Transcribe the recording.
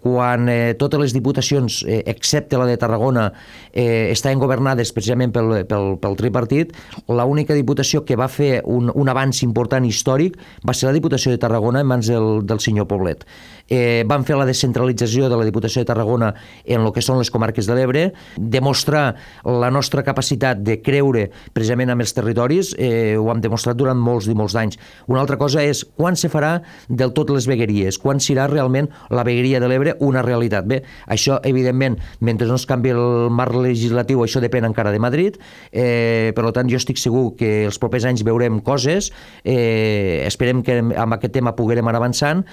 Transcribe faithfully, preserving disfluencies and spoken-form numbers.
quan eh, totes les diputacions, eh, excepte la de Tarragona, eh, estaven governades precisament pel, pel, pel tripartit, l'única diputació que va fer un, un avanç important històric va ser la Diputació de Tarragona en mans del, del senyor Poblet. Eh, van fer la descentralització de la Diputació de Tarragona en el que són les comarques de l'Ebre, demostrar la nostra capacitat de creure precisament amb els territoris, eh, ho hem demostrat durant molts i molts d'anys. Una altra cosa és quan se farà del tot les vegueries, quan serà realment la vegueria de l'Ebre una realitat. Bé, això, evidentment, mentre no es canvi el marc legislatiu, això depèn encara de Madrid, eh, per tant, jo estic segur que els propers anys veurem coses, eh, esperem que amb aquest tema poguérem anar avançant,